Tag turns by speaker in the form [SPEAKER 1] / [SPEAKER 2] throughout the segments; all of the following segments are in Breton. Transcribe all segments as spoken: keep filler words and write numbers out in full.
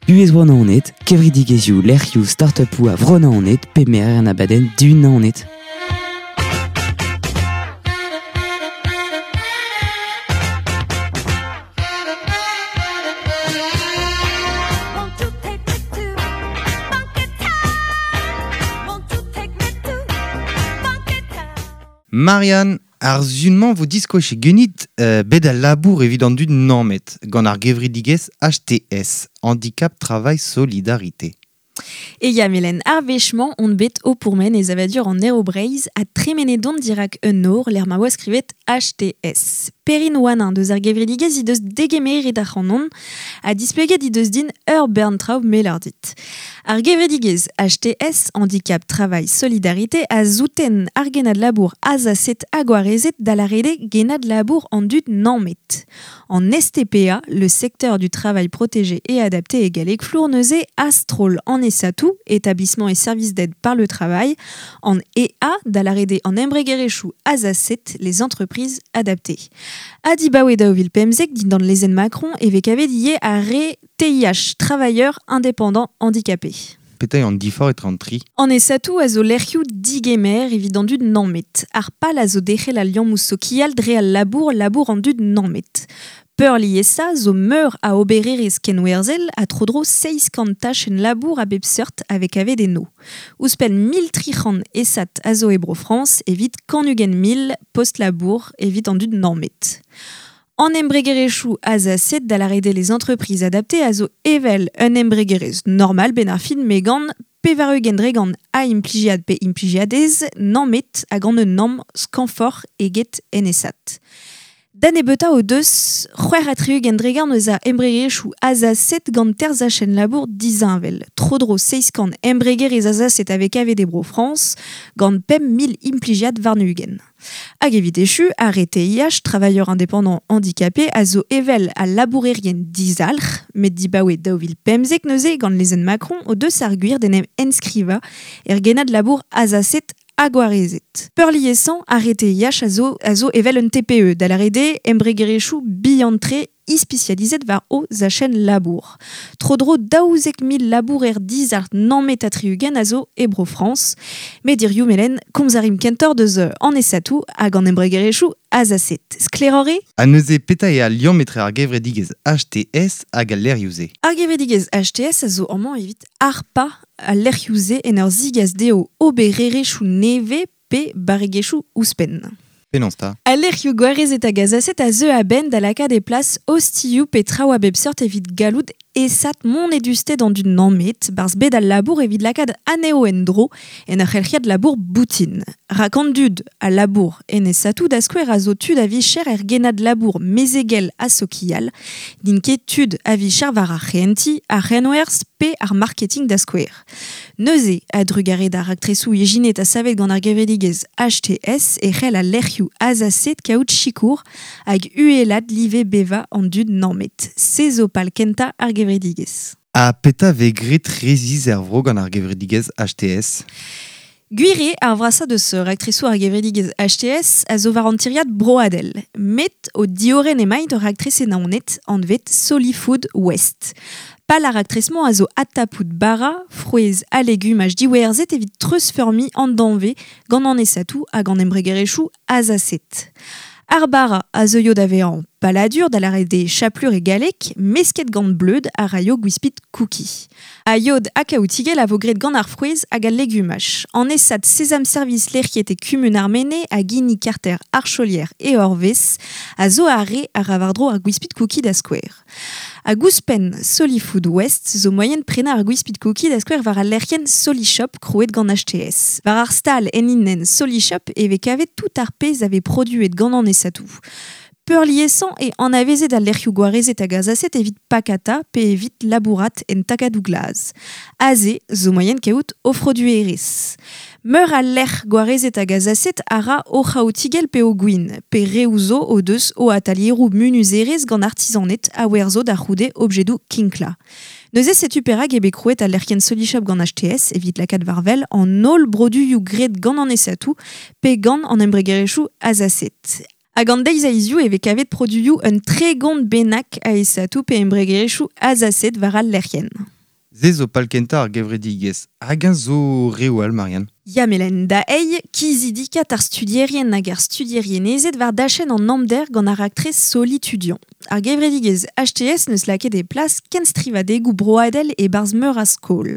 [SPEAKER 1] Buhez bro Naoned, kevredigezhioù, lec'hioù, start-upoù a vro Naoned, pe merer an abadenn Dihun Naoned.
[SPEAKER 2] Won't you take me to Funky Town? Won't you take me to Funky Town?
[SPEAKER 3] Marianne, ar zunmañ vo diskoach genit euh, bet al labour evit an dud nammet, gant ar gevredigezh H T S, Handicap Travail Solidarité.
[SPEAKER 4] E ya melen ar wechmañ on bet o pourmen ez avadur an aerobreiz a tremene dont dirak un nor l'er ma oa skrivet H T S. Perrin oan deus ar gevredigezh he deus degemeret ar c'hanon a displeget he deus din ur bern traoù melardit. Ar gevredigezh H T S, Handicap Travail Solidarité, a zouten ar genad labour azaset hag gwarezet da l'arede genad labour an dud nammet. En S T P A, le secteur du travail protégé et adapté e galleg flour neuze astrol en esatou, établissement et services d'aide par le travail, en E A, da l'arede en embregerezhioù azaset, les entreprises adaptées. Adibaoe daou vil pemzek dindan lezenn Macron e vez kavet ivez ar re T I H, travailleurs indépendants handicapés.
[SPEAKER 3] Petra eo an diforc'h etre an tri?
[SPEAKER 4] En esatou a zo lec'hioù digemer evit an dud nammet. Ar pal a zo derc'hel al liammoù sokial dre al labour, labour an dud nammet. Peurliesa zo meur a obererezh kenwerzhel a tro-dro seizh kant tachenn labour a bep seurt avec avet eno. Ouzhpenn mil tri c'hant esat a zo e Bro-Frañs evit kant ugent mil post-labour evit an dud nammet. An embregerezhioù azaset da l'arede les entreprises adaptées a zo evel un embregerezh normal ben ar fin megan pevar ugent dre gant a implijiad pe implijiadez nammet hag an un namm skañvoc'h eget en esat. Da nebeuta o deus c'hwec'h ha tri-ugent dre gant eus a embregerezhioù azaset gant terzhachen labour disheñvel. Tro-dro seizh kant embregerezh azaset avec A V D Bro France gant pemp mil implijiad warn-ugent. Hag evit echu, ar T I H, travailleur indépendant handicapé, a zo evel a labourerien dizalc'h, met dibaoe daou vil pemzek neuze gant lezenn Macron o deus ar gwir d'en em enskriva er genad labour azaset hag gwarezet. Peurliesañ, ar T I H a zo, a zo evel un T P E, da l'arede embregerezhioù bihan-tre ispisializet war o zachen labour. Tro-dro daouzek mil labourer dizalc'h nammet ha tri-ugent a zo e Bro-Frañs. Met dirioù melen komz a rim kentoc'h deus an esatou hag an embregerezhioù azaset. Sklaeroc'h eo?
[SPEAKER 3] Ha neuze petra eo al liamm etre ar gevredigezh H T S hag al lec'hioù-se?
[SPEAKER 4] Ar gevredigezh H T S a zo amañ evit harpañ al lec'hioù-se en ur zigas dezho obererezhioù nevez pe barregezhioù ouzhpenn.
[SPEAKER 3] Penaos 'ta?
[SPEAKER 4] Al lec'hioù gwarezet hag azaset a zeu a-benn da lakaat e plas ostilhoù pe traoù a bep seurt evit gallout esat mont edusted an dud nammet, barzh bet al labour evit lakaat anezho en-dro en ur c'helc'hiad labour boutin. Rak an dud al labour en esatou da skouer a zo tud a vicher er genad labour mezegel ha sokial, din ket tud a vicher war ar c'hehentiñ, ar c'henwerzh pe ar marketing da skouer. Neuze, a drugare d'ar raktresoù ijinet ha savet gant ar gevredigezh H T S e c'hell al lec'hioù azaset kaout sikour hag uhelad live beva an dud nammet. Se zo pal kentañ ar gevredigezh.
[SPEAKER 3] Ha petra vez graet resis er vro gant ar gevredigezh H T S?
[SPEAKER 4] Gwir eo ar vrasañ deus raktresoù ar gevredigezh H T S a zo war an tiriad broadel. Met o diorren emaint ur raktres e Naoned anvet Solifood West. Pal ar raktres-mañ a zo atapout bara, frouezh ha legumaj diwerzhet evit treuzfeurmiñ an danvez gant an esatou hag an embregerezhioù azaset. Ar bara a zeuio da vezañ paladur da lâret eo chaplur e galleg, mesket gant bleud a raio gwispid cookie. A yod ha kaoutigell a vo graet gant ar frouezh hag al legumaj. An esad Sesam Service lec'hiet e kumun ar Mene hag hini karter Archolière e Orvez a zo ar re a ra war-dro ar gwispid cookie da skouer. Hag ouzhpenn Solifood West zo moaien prenañ ar gwispid cookie da skouer war al lec'hienn Solishop krouet gant H T S. War ar stal en hinienn Solishop e vez kavet tout ar pezh a vez produet gant an esatou. Peurliesañ e anavezet al lec'hioù gwarezet hag azaset evit pakata pe evit labourat en takadoù glas. Aze zo moaien kaout o froduerezh. Meur al lec'h gwarezet hag azaset a ra o c'haotigell pe o gwin, pe reoù zo o deus o atalieroù munuzerezh gant artizaned a werzo da c'houde objedoù kinkla. Neuze setu perak eo bet krouet al lec'hienn Solishop gant H T S evit lakaat war wel an holl broduioù graet gant an esatou pe gant an embregerezhioù azaset. Hag an deiz a hiziv e vez kavet produioù un tregont bennak a esatou pe embregerezhioù azaset war al lec'hienn.
[SPEAKER 3] Ze zo palkenta ar gevredigezh. Hag un zo reoù all, Marianne.
[SPEAKER 4] Ya melen da ei, kizidikat ar studierien hag ar studierien ezet war dachenn an amder gant ar raktres solitudian. Ar gevredigezh H T S neus lakaet e plas kenstrivadegoù broadel e barzh meur a skol.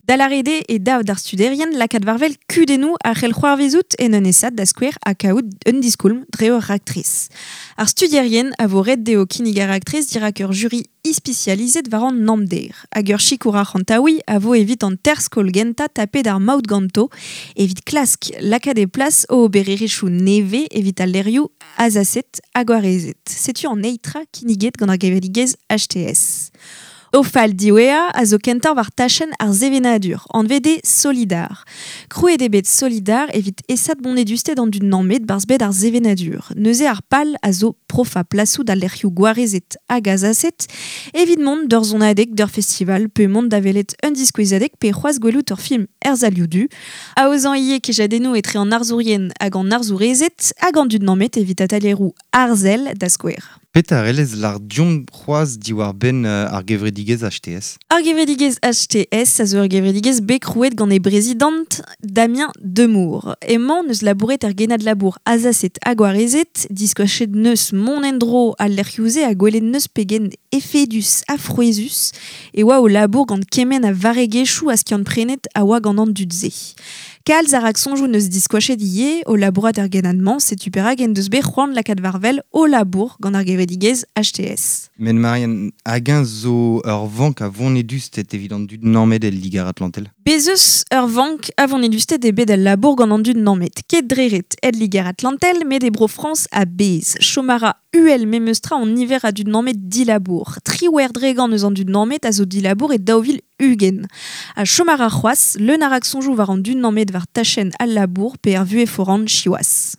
[SPEAKER 4] Dalarede e dav d'ar studierien lakaat warvel kudennoù ar c'hell c'hoarvezout en un esad da skouer ha kaout un diskoulm dre ur raktres. Ar studierien a vo ret dezho kinnig ar raktres dirak ur jury ispisializet war an amder. Hag ur sikour ar c'hantaoui a vo evit an ter skol genta tapet ar maout ganto evit klask lakaat e plas o obererezhioù neve evit al lerioù azaset hag gwarezet. Setu an eitra kinniget gant ar gevredigezh H T S. O fal diwezhañ a zo kentañ war tachenn ar sevenadur, anvet eo Solidar. Krouet eo bet Solidar evit esat bonedusted an dud nammet barzh bet ar sevenadur. Neuze ar pal a zo profa plasoù d'al lec'hioù gwarezet hag azaset evit mont d'ur zonadeg d'ur festival pe mont da welet un diskouezadeg pe c'hoazh gwelout ur film er salioù du. Aozañ ivez kejadennoù etre an arzourien hag an arzourezed hag an dud nammet evit atalieroù arzel da skouer.
[SPEAKER 3] Petra relez lar diomp c'hoazh diwar benn, euh, ar gevredigezh H T S?
[SPEAKER 4] Ar gevredigezh H T S a zo ur gevredigezh bet krouet gant e brezidant Damien Demour. Emañ neus labouret er genad labour azaset hag gwarezet, diskoachet neus mont en-dro al lec'hioù-se ha gwelet neus pegen efedus ha frouezhus e oa o labour gant kement a varegezhioù a skiant prenet a oa gant an dud-se. Kalz ar aksoñjoù neus diskoachet ivez o labourat er genad-mañ, setu perak en deus bet c'hoant lakaat war-wel o labour gant ar gevredigezh H T S.
[SPEAKER 3] Men Marianne, hag un zo ur vank a vonedusted evit an dud nammet el Liger Atlantel?
[SPEAKER 4] Bez eus ur vank a vonedusted ebet al labour gant an dud nammet. Ket dreret el Liger Atlantel, met e bro Frañs a bez. Chomara U L memeustra an niver a dud nammet dilabour. Triwer dregan eus an dud nammet a zo dilabour e daou vil ugent. A chomara c'hoazh, leun ar aksoñjoù war an dud nammet war tachenn al labour pe ar vuhez foran siwazh.